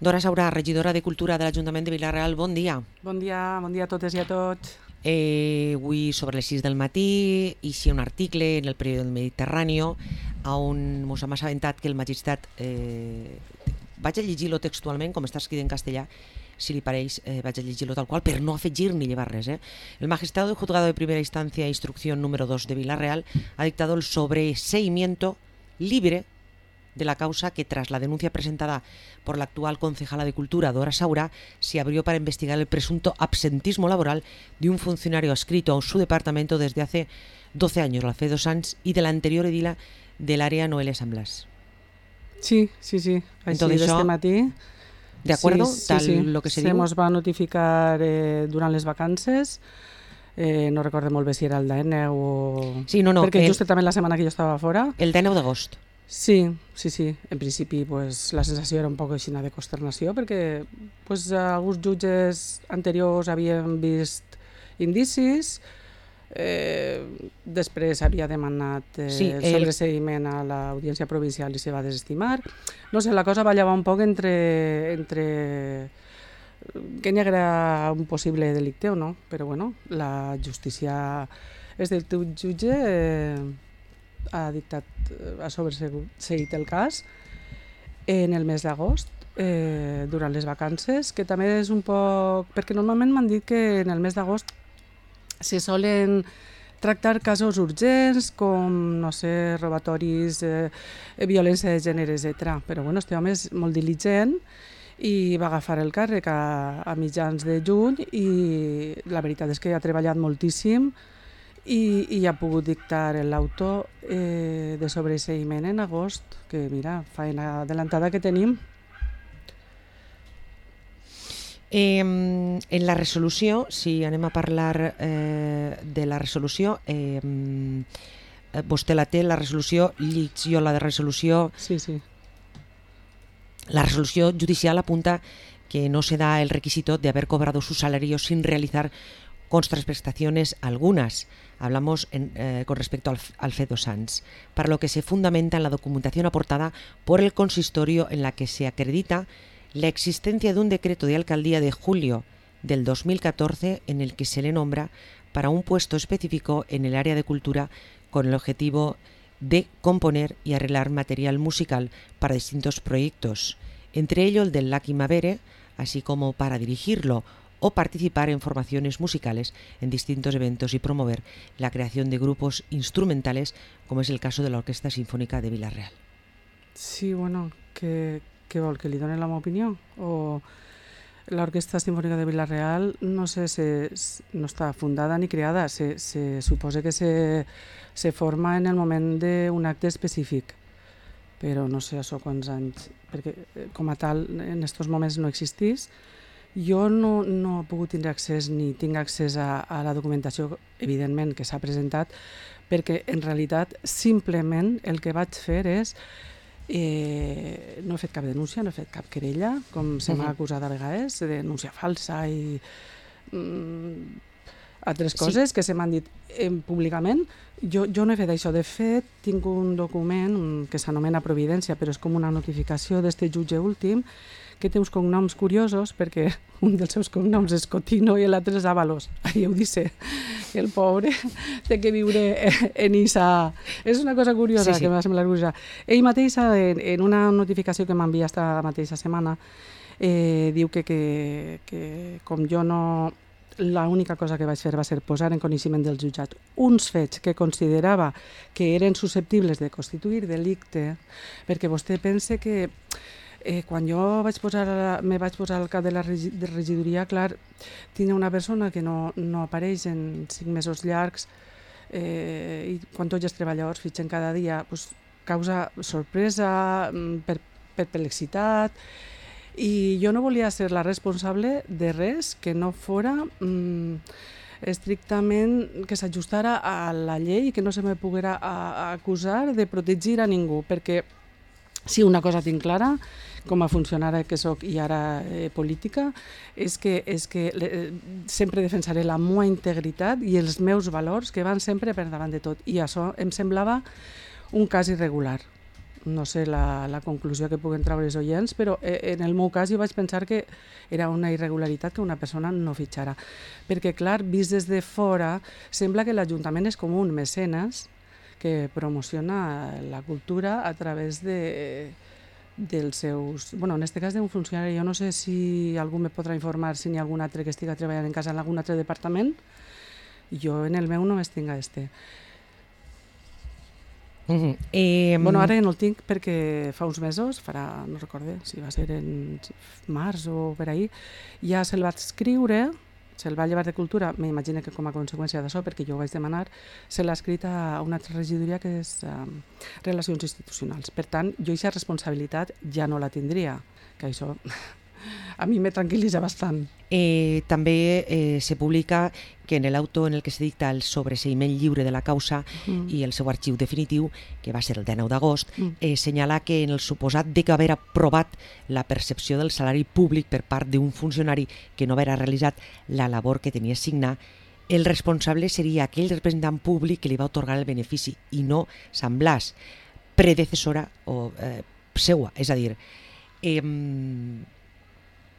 Dora Saurà, regidora de Cultura de l'Ajuntament de Vila-real, bon dia. Bon dia a totes i a tots. Avui sobre les 6 del matí eixia un article en el periòdic del Mediterrani on ens hem assabentat que el magistrat, vaig a llegir-lo textualment com està escrit en castellà, si li pareix, vaig a llegir-lo tal qual per no afegir ni llevar res. El magistrado del juzgado de primera instancia instrucción número 2 de Vila-real ha dictado el sobreseimiento libre de la causa que, tras la denuncia presentada por la actual concejala de Cultura, Dora Saurà, se abrió para investigar el presunto absentismo laboral de un funcionario adscrito a su departamento desde hace 12 años, Alfredo Sanz, y de la anterior edila del área, Noelia San Blas. Sí. Entonces, este matí. ¿De acuerdo? Tal lo que se diu? Se mos va notificar durant les vacances. No recordem molt bé si era el 19 o... Sí, no, perquè just també la setmana que jo estava fora. El 19 d'agost. Sí. En principi pues, la sensació era un poc així de consternació perquè pues, alguns jutges anteriors havien vist indicis, després havia demanat el sobreseïment a l'Audiència Provincial i se va desestimar. No sé, la cosa ballava un poc entre que n'hi haguera un possible delicte o no, però bueno, la justícia és del teu jutge, ha sobreseït el cas en el mes d'agost, durant les vacances, que també és un poc... perquè normalment m'han dit que en el mes d'agost se solen tractar casos urgents com, no sé, robatoris, violència de gènere, etc. Però bueno, este home és molt diligent i va agafar el càrrec a mitjans de juny i la veritat és que ha treballat moltíssim i ha pogut dictar l'auto de sobreseïment en agost, que mira, feina adelantada que tenim. En la resolució, si anem a parlar de la resolució, vostè la té, la resolució, llic jo la de resolució. Sí. La resolució judicial apunta que no se da el requisito de haber cobrado su salario sin realizar contraprestaciones algunas. Hablamos con respecto al Alfredo Sanz, para lo que se fundamenta en la documentación aportada por el consistorio en la que se acredita la existencia de un decreto de alcaldía de julio del 2014 en el que se le nombra para un puesto específico en el área de cultura con el objetivo de componer y arreglar material musical para distintos proyectos, entre ellos el del Lucky Mavere, así como para dirigirlo o participar en formaciones musicales en distintos eventos y promover la creación de grupos instrumentales, como es el caso de la Orquesta Sinfónica de Vila-real. Sí, bueno, què vol, que li doni la meva opinió? O l'Orquesta Sinfònica de Vila-real no sé, no està fundada ni creada, se suposa que se forma en el moment d'un acte específic, però no sé això quants anys, perquè com a tal en aquests moments no existís. Jo no he pogut tindre accés ni tinc accés a la documentació, evidentment, que s'ha presentat, perquè en realitat simplement el que vaig fer és no he fet cap denúncia, no he fet cap querella, com se m'ha acusat a vegades, de denúncia falsa i altres coses que se m'han dit públicament. Jo no he fet això. De fet, tinc un document que s'anomena Providència, però és com una notificació d'este jutge últim, que té uns cognoms curiosos, perquè un dels seus cognoms és Cotino i l'altre és Ábalos. Ja ho dice, el pobre té que viure en Issa. És una cosa curiosa que m'ha semblat curiosa. Ell mateix, en una notificació que m'envia esta mateixa setmana, diu que com jo no... L'única cosa que vaig fer va ser posar en coneixement del jutjat uns fets que considerava que eren susceptibles de constituir delicte, perquè vostè pense que quan jo me vaig posar al cap de la regidoria, clar, tindre una persona que no apareix en 5 mesos llargs i quan tots els treballadors fitxen cada dia, causa sorpresa, perplexitat, i jo no volia ser la responsable de res que no fora estrictament que s'ajustara a la llei i que no se me poguera acusar de protegir a ningú, perquè si una cosa tinc clara, com a funcionària que soc i ara política, és que sempre defensaré la meva integritat i els meus valors que van sempre per davant de tot. I això em semblava un cas irregular. no sé la conclusió que puguen treure els oients, però en el meu cas jo vaig pensar que era una irregularitat que una persona no fitxara. Perquè, clar, vist des de fora, sembla que l'Ajuntament és com un mecenes que promociona la cultura a través dels seus... Bueno, en aquest cas d'un funcionari, jo no sé si algú me podrà informar si n'hi ha algun altre que estiga treballant en casa en algun altre departament. Jo en el meu només tinc este. Bueno, ara no el tinc perquè fa uns mesos, no recorde si va ser en març o per ahir, ja se'l va escriure, se'l va llevar de Cultura, m'imagino que com a conseqüència d'això, perquè jo ho vaig demanar, se l'ha escrit a una altra regidoria que és Relacions Institucionals. Per tant, jo aquesta responsabilitat ja no la tindria, que això a mi me tranquil·litza bastant. També se publica que en l'auto en el que se dicta el sobreseïment lliure de la causa i el seu arxiu definitiu, que va ser el 19 d'agost, senyala que en el suposat d'haver aprovat la percepció del salari públic per part d'un funcionari que no haver realitzat la labor que tenia assignat, el responsable seria aquell representant públic que li va atorgar el benefici i no Sant Blas, predecessora o seua. És a dir,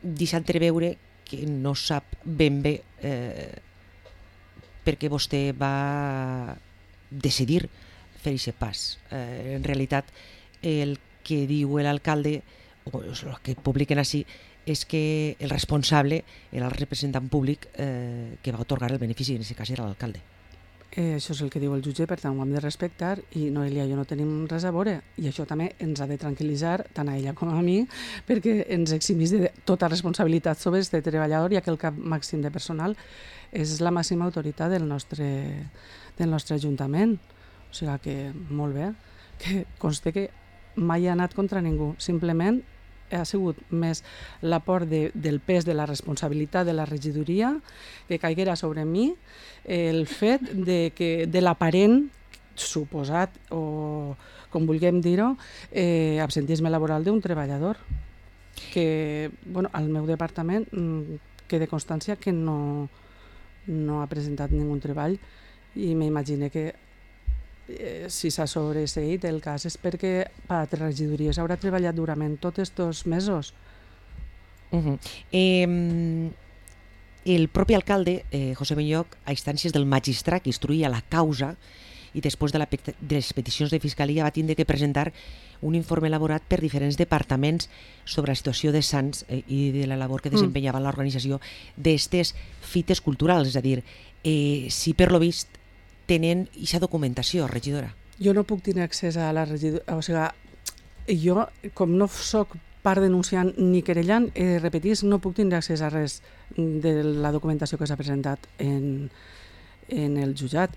deixa entreveure que no sap ben bé per què vostè va decidir fer aquest pas. En realitat, el que diu l'alcalde, o el que publiquen així, és que el responsable era el representant públic que va atorgar el benefici, en aquest cas era l'alcalde. Això és el que diu el jutge, per tant ho hem de respectar i Noelia i jo no tenim res a veure i això també ens ha de tranquil·litzar tant a ella com a mi perquè ens eximís de tota responsabilitat sobre este treballador, ja que el cap màxim de personal és la màxima autoritat del nostre Ajuntament. O sigui que molt bé, que conste que mai ha anat contra ningú, simplement ha sigut més l'aport del pes de la responsabilitat de la regidoria que caiguera sobre mi, el fet de l'aparent suposat, o com vulguem dir-ho, absentisme laboral d'un treballador. Que, bueno, al meu departament queda constància que no ha presentat ningú treball i m'imagino que si s'ha sobreseït el cas és perquè per altres regidories haurà treballat durament tots aquests mesos. El propi alcalde, José Belloc, a instàncies del magistrat que instruïa la causa i després de les peticions de fiscalia va tindre que presentar un informe elaborat per diferents departaments sobre la situació de Sants i de la labor que desempenyava l'organització d'aquestes fites culturals. És a dir, si per lo vist tenen aquesta documentació, regidora? Jo no puc tenir accés a la regidoria, o sigui, jo, com no soc part denunciant ni querellant, repetís, no puc tenir accés a res de la documentació que s'ha presentat en el jutjat.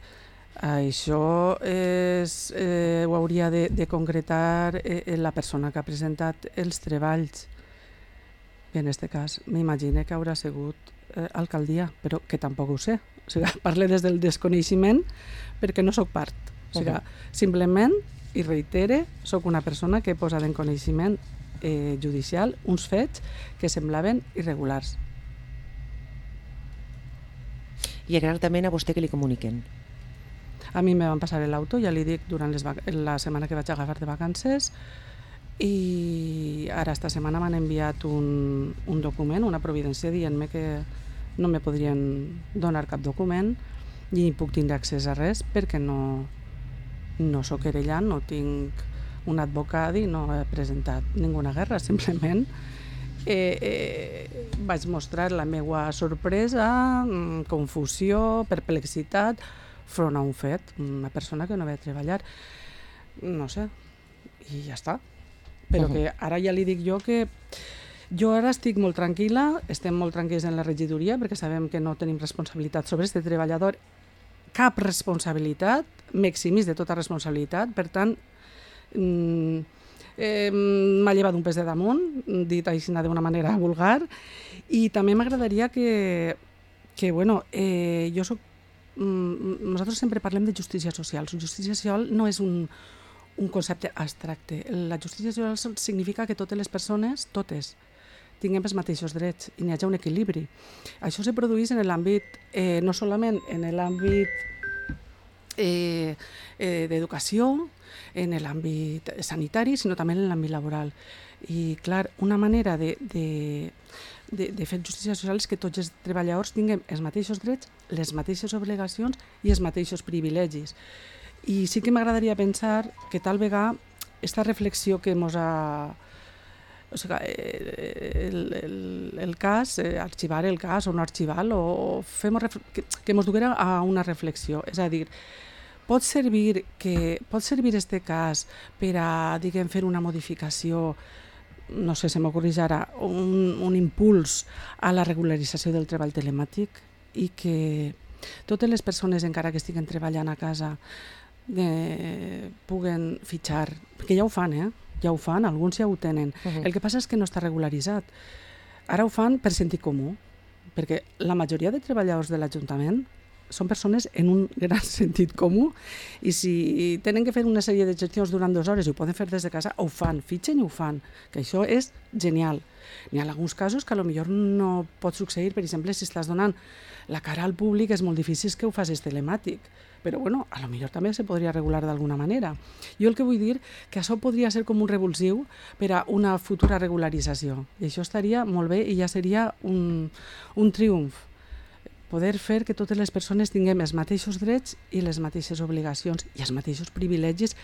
Això ho hauria de concretar la persona que ha presentat els treballs. I en aquest cas m'imagino que haurà sigut alcaldia, però que tampoc ho sé. O sigui, parle des del desconeixement perquè no sóc part. O sigui, simplement, i reitere, sóc una persona que he posat en coneixement judicial uns fets que semblaven irregulars. I exactament a vostè que li comuniquen? A mi me van passar l'auto, ja li dic, durant la setmana que vaig agafar de vacances, i ara esta setmana m'han enviat un document, una providència, dient-me que no me podrien donar cap document i ni puc tindre accés a res perquè no soc querellant, no tinc un advocat i no he presentat ninguna guerra, simplement vaig mostrar la meva sorpresa, confusió, perplexitat front a un fet, una persona que no ve a treballar, no sé, i ja està. Però que ara ja li dic jo que jo ara estic molt tranquil·la, estem molt tranquils en la regidoria perquè sabem que no tenim responsabilitat sobre aquest treballador, cap responsabilitat, m'eximís de tota responsabilitat, per tant, m'ha llevat un pes de damunt, dit així d'una manera vulgar, i també m'agradaria que bueno, jo soc... Nosaltres sempre parlem de justícia social. Justícia social no és un concepte abstracte. La justícia social significa que totes les persones, totes, tinguem els mateixos drets i n'hi hagi un equilibri. Això se produeix en l'àmbit, no solament en l'àmbit d'educació, en l'àmbit sanitari, sinó també en l'àmbit laboral. I, clar, una manera de fer justícia social és que tots els treballadors tinguem els mateixos drets, les mateixes obligacions i els mateixos privilegis. I sí que m'agradaria pensar que tal vegada aquesta reflexió que ens ha... O sigui, el cas, arxivar el cas o no arxivar-lo, o que ens duguera a una reflexió. És a dir, pot servir este cas per a, diguem, fer una modificació, no sé, se m'ocorreix ara, un impuls a la regularització del treball telemàtic i que totes les persones, encara que estiguen treballant a casa, puguen fitxar, perquè ja ho fan, ja ho fan, alguns ja ho tenen. El que passa és que no està regularitzat. Ara ho fan per sentit comú, perquè la majoria de treballadors de l'Ajuntament són persones en un gran sentit comú i si tenen que fer una sèrie de gestions durant 2 hores i ho poden fer des de casa, ho fan, fitxen i ho fan, que això és genial. N'hi ha alguns casos que potser no pot succeir, per exemple, si estàs donant la cara al públic és molt difícil que ho facis telemàtic, però bueno, potser també se podria regular d'alguna manera. Jo el que vull dir que això podria ser com un revulsiu per a una futura regularització i això estaria molt bé i ja seria un triomf. Poder fer que totes les persones tinguem els mateixos drets i les mateixes obligacions i els mateixos privilegis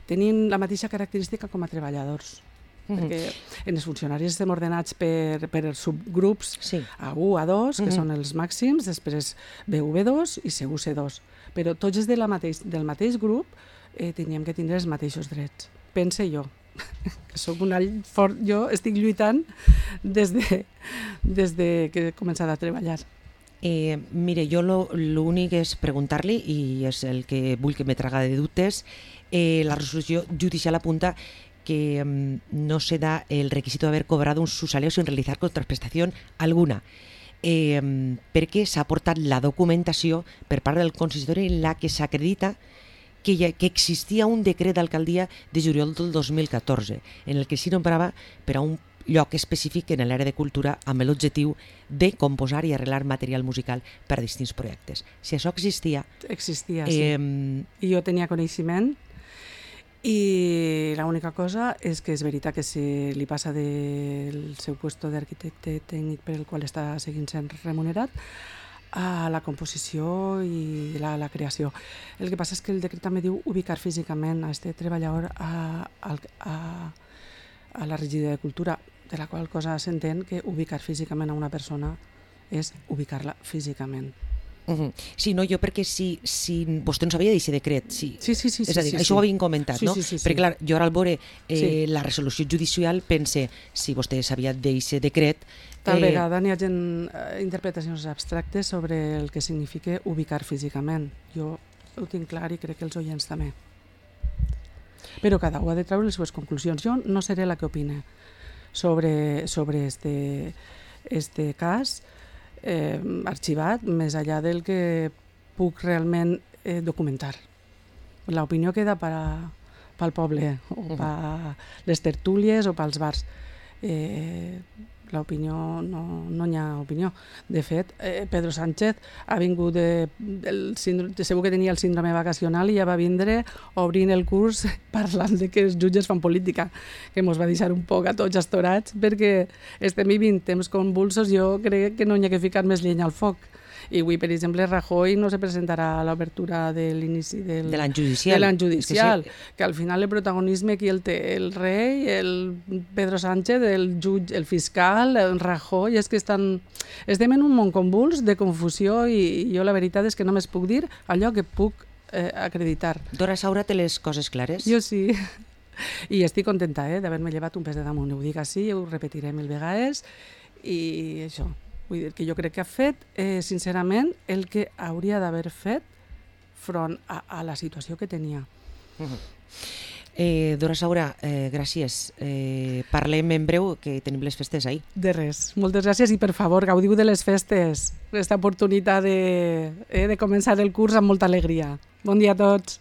tenint la mateixa característica com a treballadors. Perquè en els funcionaris estem ordenats per subgrups A1, A2, que són els màxims, després B1, B2 i C1, C2. Però tots els del mateix grup teníem que tindre els mateixos drets. Pense jo. Que soc un all fort, jo estic lluitant des que he començat a treballar. Mire, jo l'únic és preguntar-li, i és el que vull que me traga de dubtes, la resolució judicial apunta que no se da el requisito de haber cobrado un subsaleo sin realizar contraprestación alguna, perquè s'ha aportat la documentació per part del consistori en la que s'acredita que existia un decret d'alcaldia de juliol del 2014 en el que s'hi nombrava per a un lloc específic en l'àrea de cultura amb l'objectiu de composar i arreglar material musical per a distints projectes. Si això existia... Existia, sí. I jo tenia coneixement i l'única cosa és que és veritat que se li passa del seu puesto d'arquitecte tècnic per el qual està seguint sent remunerat a la composició i la creació. El que passa és que el decret també diu ubicar físicament a este treballador a la regidoria de cultura, de la qual cosa s'entén que ubicar físicament a una persona és ubicar-la físicament. Sí, no, jo perquè si vostè no sabia d'aquest decret, sí. És a dir, això ho havien comentat, no? Perquè clar, jo ara al veure la resolució judicial pense, si vostè sabia d'aquest decret... Tal vegada n'hi ha interpretacions abstractes sobre el que significa ubicar físicament. Jo ho tinc clar i crec que els oients també. Però cada un ha de treure les seves conclusions. Jo no seré la que opine sobre este cas arxivat, més enllà del que puc realment documentar. L'opinió queda pel poble, o per les tertúlies o pels bars. L'opinió, no hi ha opinió. De fet, Pedro Sánchez ha vingut segur que tenia el síndrome vacacional i ja va vindre obrint el curs parlant de que els jutges fan política, que ens va deixar un poc a tots astorats perquè estem vivint temps convulsos. Jo crec que no hi ha que ficar més llenya al foc. I avui, per exemple, Rajoy no se presentarà a l'obertura de l'inici de l'any judicial, que al final el protagonisme qui el té? El rei, el Pedro Sánchez, el jutge, el fiscal, el Rajoy, és que estem en un món convuls de confusió i jo la veritat és que només puc dir allò que puc acreditar. Dora Saura té les coses clares? Jo sí. I estic contenta d'haver-me llevat un pes de damunt. Ho dic així, ho repetiré 1000 vegades i això. Vull dir que jo crec que ha fet, sincerament, el que hauria d'haver fet front a la situació que tenia. Dora Saura, gràcies. Parlem en breu, que tenim les festes ahir. De res. Moltes gràcies i, per favor, gaudiu de les festes. Aquesta oportunitat de començar el curs amb molta alegria. Bon dia a tots.